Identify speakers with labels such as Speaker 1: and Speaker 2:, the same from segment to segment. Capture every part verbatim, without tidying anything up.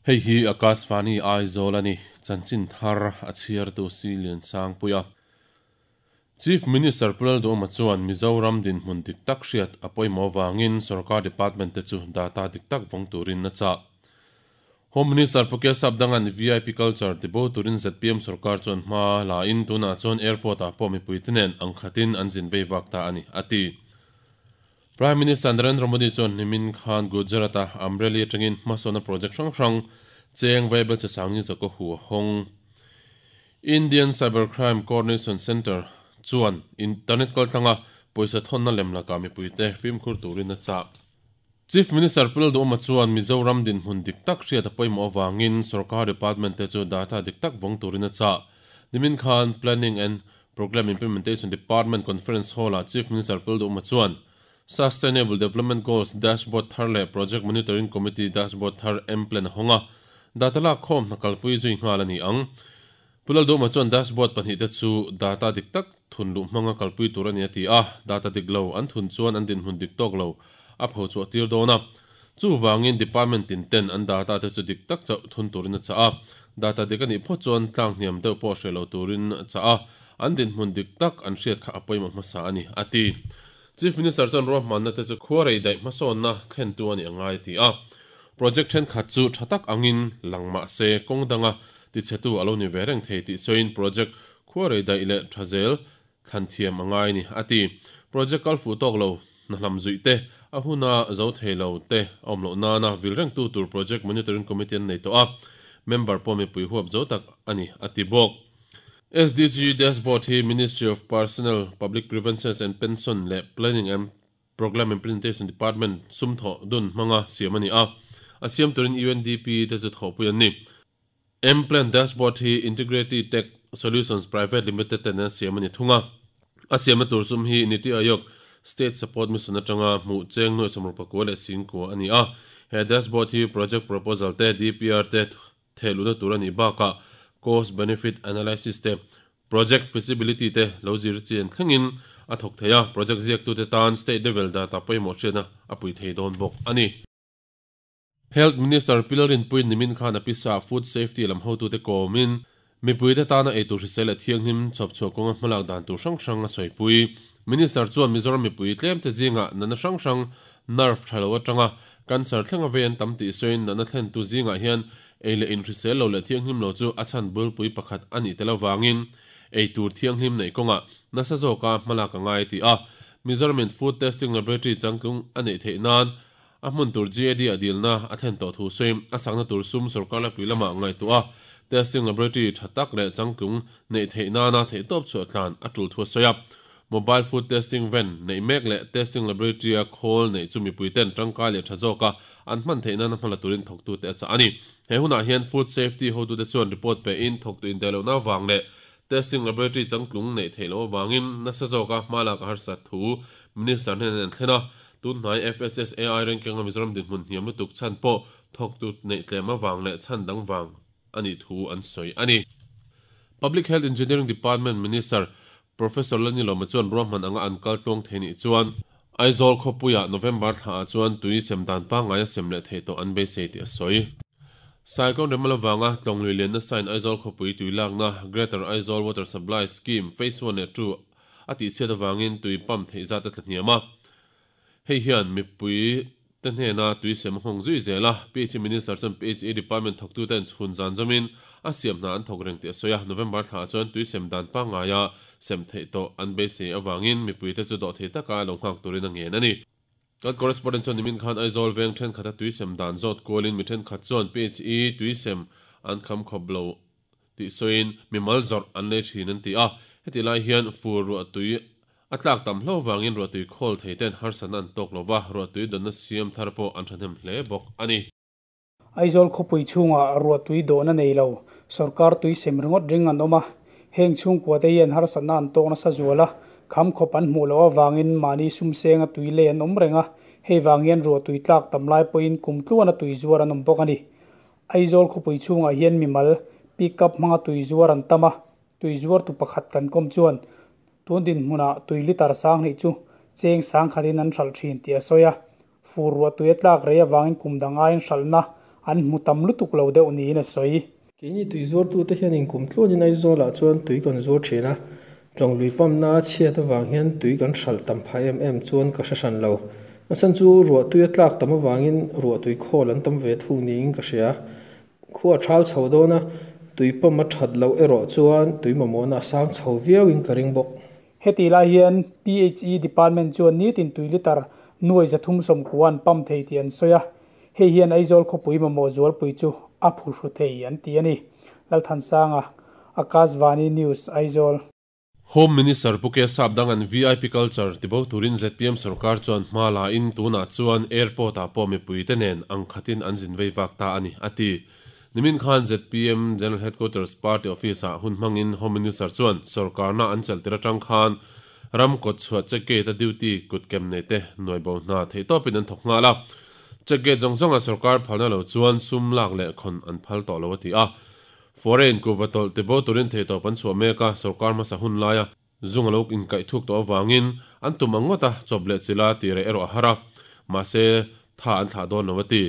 Speaker 1: Hei hi Akashvani Aizawl ani chanchin thar a chhiar tu si lian sang puia Chief Minister Pu Lalduhoma chuan Mizoram dinhmun dik tak hriat a pawimawh vangin sarkar department te chu data dik tak vawng turin a chah. Home Minister Pu Kesap Dangan V I P culture tibo turin Z P M sarkar chuan hma la in tunah chuan airport ah pawh mipui te nen ang khatin an zin vei vak ta ani a ti. Prime Minister Narendra Modi chuan nimin khan Gujarat a Amreli atangin hmasawna project hrang hrang cheng vaibel che sangni zako hu hong. Indian Cybercrime Coordination Center chuan internet kaltlanga pawisa thonna lemla ka mipui te fimkhur turin a chah. Chief Minister Pu Lalduhoma chuan Mizoram dinhmun dik tak hriat a pawimawh avangin sarkar department te chu data dik tak vawng turin a chah. Nimin khan Planning and Program Implementation Department Conference Hall ah Chief Minister Pu Lalduhoma chuan Sustainable Development Goals Dashboard thar leh Project Monitoring Committee Dashboard thar M-Plan honga data lak khawm hna kalpui zui nghal ani ang. Pu Lalduhoma chuan dashboard pahnih te chu data dik tak thun luh hmanga kalpui tur ani a ti a, data dik lo an thun chuan an dinhmun dik tawk lo a pho chu a tir dawn a. Chu wangin department tin ten an data te chu dik tak chauh thun turin a chah a, data dik ani phaw chuan tlang hniam deuh pawh hre lo turin a chah a, an dinhmun dik tak an hriat kha a pawimawh hmasa ani a ti. Chief Minister chuan ruahmanna te chu khuarei daih hmasawnna thlen tu ani angai ti a. Project then khat chu tha tak angin langma se kawng danga ti chhetu alo ni ve reng thei tih sawiin project khuarei daih leh tha zel thlan thiam angai ni a ti. Project kal fu tawk lo na hlam zui te a huna zo thei lo te awm lo nana vil reng tu tur project monitoring committee an nei tawh a, member pawh mipui huap zo tak ani a ti bawk. S D G dashboard hi Ministry of Personnel, Public Grievances and Pension leh Planning and Program Implementation Department sumthaw dun hmanga siam ani a, a siam turin U N D P te chu thawhpui an ni. M-Plan dashboard hi Integrity Tech Solutions Private Limited ten an siam ani thunga. A siamna tur sum hi Niti Aayog State Support Mission atanga hmuh cheng nuai sawmruk pakua leh singkua ani a. He dashboard hi project proposal te D P R te theluna tur ani bakah cost benefit analysis te project feasibility te lo zir chian thlengin a thawk thei a, project ziak tu te tan state level data pawimawh hriatna a pui thei dawn bawk ani. Health Minister Pu Lalrinpuiin nimin khan a pisa food safety lam hotu te kawmin mipui te tana eitur hrisel leh thianghlim chhawp chhuah kawnga hmalak dan tur hrang hrang a sawipui. Minister chuan Mizoram mipui tlem te zinga nana hrang hrang nerve tha lo atanga cancer thlenga vei an tam tih sawiin nana thlen tu zingah hian ei leh in hrisel lo leh thianghlim lo chu a chhan bulpui pakhat ani tel awangin eitur thianghlim nei kawnga nasa zawka hmalak angai ti a. Mizoramin food testing laboratory changtlung ani theih nan a hmun tur G A D a dilna a thlen tawh thu sawiin a sakna tur sum sarkar la pui lama ngai tu a, testing laboratory tha tak leh changtlung nei theih nana theih tawp chu a tlan a tul thu a sawi a. Mobile food testing van nei mek leh testing laboratory a khawl nei chu mipui ten tangkai leh tha zawka an hman theih nana hmala turin thawk tu te a chah ani. He hunah hian food safety hotu te chuan report pe in thawk tu in delo na wang leh testing laboratory changtlung nei theih lo awangin nasa zawka hmalak a harsat thu minister hnen an thlena. Tun hnai F S S A I ranking a Mizoram dinhmun hniam lutuk chhan pawh thawk tu nei tlem awang leh chhan dang wang ani thu an sawi ani. Public Health Engineering Department Minister Professor Lalnilawma chuan ruahman anga an kal tluang thei ni chuan Aizawl khawpuia November thla ah chuan tui sem dan pangngai a sem leh thei tawh an beisei tih a sawi. Cyclone Remal awanga tlawnglui lianna sign Aizawl khawpui tui lakna Greater Aizawl Water Supply Scheme Phase one leh two a tih chhiat awangin tui pump theih zat a tla hniam a. Hei hian mipui te hnena tui sem hawng zui zel a, P H E Minister chuan P H E Department thawk tu ten chhun zan zawmin a siam hna an thawk reng tih a sawi a. November thla ah chuan tui sem dan pangngai a sem theih tawh an beisei awangin mipui te chu dawh thei taka lo nghak turin a ngen ani. Kan correspondent chuan nimin khan Aizawl veng then khata tui sem dan zawt kualin mi then khat chuan P H E tui sem an kham khawp lo tih sawiin mimal zawrh an nei thin an ti a. Heti lai hian fur ruah tui a tlak tam hlo wangin ruah tui khawl thei ten harsatna an tawk lova ruah tui dawnna siam thar pawh an thahnem hle bawk ani.
Speaker 2: Aizawl khawpui chhungah ruah tui dawhna nei lo sarkar tui sem ringawt ring an awm a, heng chhungkua te hian harsatna an tawkna sa zual a, kham khawp an hmuh lo awangin mahni sum senga tui lei an awm reng a, hei wang hian ruah tui tlak tam lai pawhin kum tluan a tui zuar an awm bawk ani. Aizawl khawpui chhungah hian mimal pick up hmanga tui zuar an tam a, tui zuar tu pakhat kan kawm chuan Tun din hmuna tui litar sang ni chu cheng sang khatin an hral thin ti a soya. Fur ruah tui tlak rei awangin kum danga in hralna an hmu tam lutuk lo deuh niin a sawi.
Speaker 3: Keini tui zuar tu te hian in kum tluanin Aizawl ah chuan tui kan zuar thin a, tlawng lui pump na chhiat awang hian tui kan hral tam pha em em chuan ka hre hran lo. A san chu ruah tui a tlak tam awangin ruah tui khawl an tam ve thung niin ka hria. Khua thal chho dawna tui pump a that lo erawh chuan tui mamawh na sang chho viauin ka ring bawk.
Speaker 2: Heti lai hian P H E department chuan nitin tui litar nuai zathum som kuan pump thei ti an soya. Hei hian Aizawl khawpui mamawh zualpui chu a phu thei an ti ani. Lalthansanga, Akashvani News, Aizawl.
Speaker 1: Home Minister Puke Sapdang an V I P culture tibo turin Z P M sarkar chuan hmala in tuna chuan airport a pawh mipui te nen ang khatin an zin vei vak ta ani ati. Nimin khan Z P M General Headquarters Party Office a hun hmangin Home Minister chuan sarkar na an chel tir atang khan ram kot chhuat check gate a duty kut kem nei te noi bo na thei topin an thok nga la. Check gate zong zong a sarkar phalna lo chuan sum lak le khon an phal to lo ati a. Foreign ku vatol te bo turin thei to pan chhuah meka sarkar ma sa hun laia zung lo in kai thuk to awangin an tum angota chawp le chila ti re ero hara ma se tha an thla don lo ati.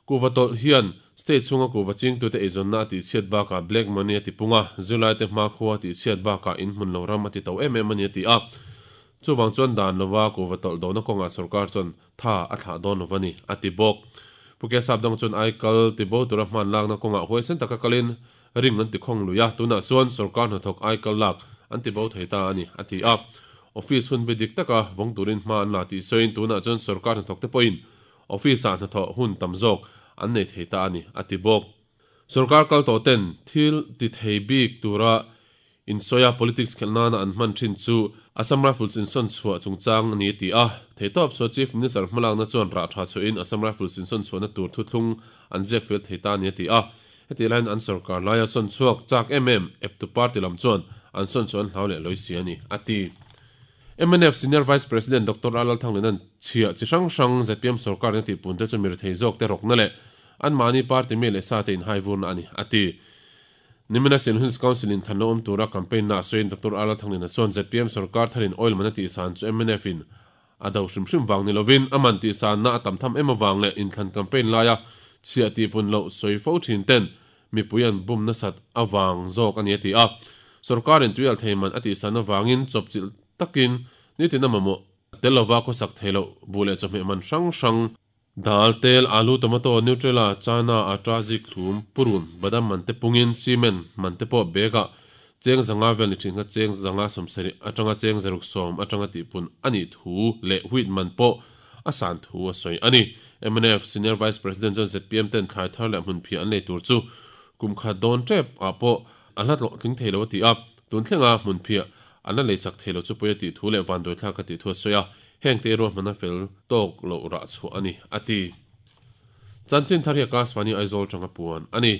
Speaker 1: Ku vatol hian state chunga ku waching tu te eizon na ti chiat ba ka black money ati punga zulai te hma khuwa ti chiat ba ka in hmun lo ram ati to em em ani ati a. Chuwang chuan dan lova ku vatol do na konga sarkar chuan tha a thla don lo wani ati bok. Puke sapdang chuan ai kal ti bo tura hman lak na konga huaisen taka kalin ring an ti khong luya tuna chuan sarkar hna thok ai kal lak an ti bo thei ta ani ati a. Office hun bi dik taka vong turin hma an la ti soin tuna chuan sarkar hna thok te poin office a hna tho hun tam zawk an nei thei ta ani ati bok. Sarkar kal to ten thil ti thei bik tura in soya politics khelna na an hman thin chu Assam Rifles in son chhuah chungchang ani ti a. Thei tawp chu Chief Minister hmalak na chuan ra tha chu in Assam Rifles in son chhuah na tur thuthlung an ziak fel thei ta ani ti a. Heti lain an sarkar laia son chhuak chak em em ep tu party lam chuan an son chuan hlau leh loi si ani ati. M N F Senior Vice President Doctor Alal Thanglenan chhia chi hrang hrang Z P M sarkar na ti pun te chu mir thei zawk te rok na le an mani party me le sa te in hai vur na ani ati. Nimina Sin Hills Council in thanlo om tura campaign na soin Doctor Alal Thanglena chuan Z P M sarkar tharin oil mana ti san chu M N F in ado hrim hrim wang ni lovin aman ti san na atam tham em awang le in thlan campaign laia chhia ti pun lo soi fo thin ten mipuian bum na sat awang zawk ani ati a. Sarkar in tuial theiman ati san awangin chop chil takin nitin amamo telova ko sak theilo bule chawhmeh man hrang hrang dal tel alu tomato nutrela chana ata zik thlum purun badam man te pungin cement man te pawh bega cheng zanga vel ni thin kha cheng zanga sawmsarih atanga cheng zaruk sawm atanga tihpun ani thu leh wheat man pawh a san thu a sawi ani. M N F Senior Vice President chuan Z P M ten thlai thar leh hmun phia an lei tur chu kum khat dawn tep ah pawh a hla tlawh tling thei lo a ti a. Tun thlenga hmun phia an la lei sak thei lo chu pawi a tih thu leh van dawih thlak a tih thu a sawi a. Heng te ruah hmana fel tawk lo rah chhuah ani ati. Chanchin thar hi Akashvani Aizawl tanga puan ani.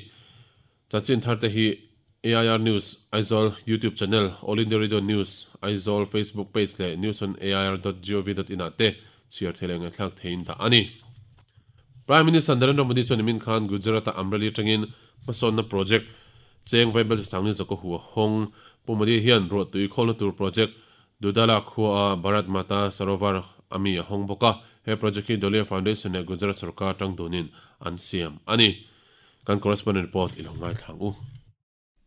Speaker 1: Chanchin thar te hi A I R News Aizawl YouTube channel, All India Radio News Aizawl Facebook page le news on A I R dot gov dot in ate chhiar thei ngai thlak thein ta ani. Prime Minister Narendra Modi chuan nimin khan Gujarat a Amreli tangin hmasawnna project cheng vaibel sangni zako huwa hong Pu Modi hian ruah tui khawlna tur project Dudala Khua Bharat Mata Sarovar ami a hong boka he project hi Dolia Foundation le Gujarat sarkar tang dunin an siam ani. Kan correspondent report ilongai thlang u.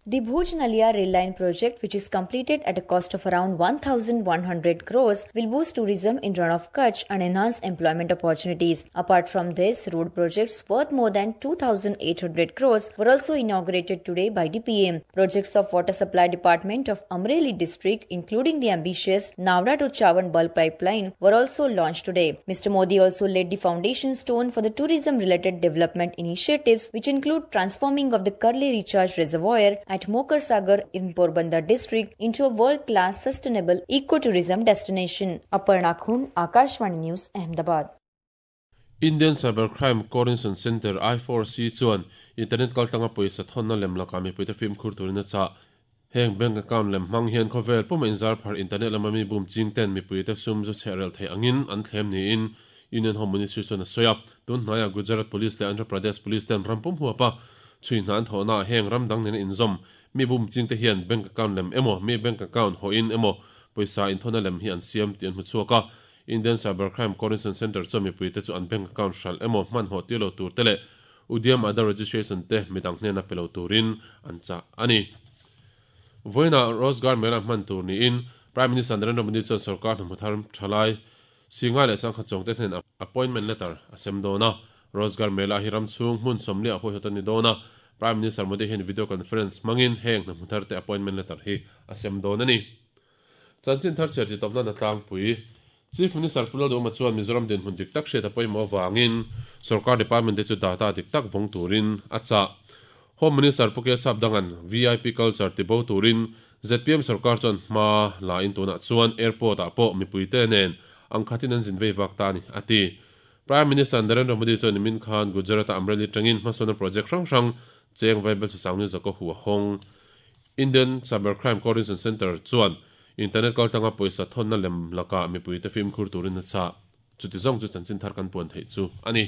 Speaker 4: The Bhuj Nalia rail line project, which is completed at a cost of around one thousand one hundred crores, will boost tourism in Rann of Kutch and enhance employment opportunities. Apart from this, road projects worth more than two thousand eight hundred crores were also inaugurated today by the P M. Projects of Water Supply Department of Amreli district, including the ambitious Navda to Chavan bulk pipeline, were also launched today. Mister Modi also laid the foundation stone for the tourism-related development initiatives, which include transforming of the Karli Recharge Reservoir at Mokar Sagar in Porbandar district into a world-class sustainable ecotourism destination. Aparna Khun, Akashvani News, Ahmedabad.
Speaker 1: Indian Cybercrime Coordination Center I four C chuan internet kaltanga pawisa thonna lem laka mipui te film khur turin a cha. Heng bank account lem hmang hian khawvel puma inzar phar internet lama mi bum ching ten mipui te sum zu chherel thei angin an thlem niin Union Home Ministry chuan a sawi a. Tun hnaia Gujarat Police leh Andhra Pradesh Police ten rampum huapa chui hna an thawhna heng ram dang nen inzawm mi bum ching te hian bank account lem emaw mi bank account ho in emaw poisa in thona lem hi an siam ti an hmu chhuak a. Indian Cybercrime Coordination Center chu mipui te chu an bank account hral emaw hman haw tir lo tur te leh Udyam Aadhaar registration te midang hnena pe lo turin an chah ani. Voina Rozgar Mela hman tur niin Prime Minister Narendra Modi chuan sarkar hnathawh thar thalai singa leh sangkhat chawng te hnen appointment letter a sem dawn a. Rozgar Mela hi ram chhung hmun sawmli a huaihawt ani dawn a. Prime Minister Modi hian video conference hmangin heng hnathawh thar te appointment letter hi a sem dawn ani. Chanchin thar chhiar chi tawpna na tlangpui Chief Minister Pu Lalduhoma chuan Mizoram dinhmun dik tak hriat a pawimawh avangin sarkar department te chu data dik tak vawng turin a chah. Home Minister Pu Kesap Dangan V I P culture ti bo turin Z P M sarkar chuan hma la in tunah chuan airport ah pawh mipui te nen ang khatin an zin vei vak ta ani a ti. Prime Minister Narendra Modi chuan nimin khan Gujarat-a Amreli tangin hmasawna project hrang hrang cheng vaibel chu sangni zako hu a hawng. Indian Cybercrime Coordination Center chuan internet kaltanga poisa thonna lem laka mipui te film khur turin a chah. Chuti zawng chu chanchin thar kan puan theih chu ani.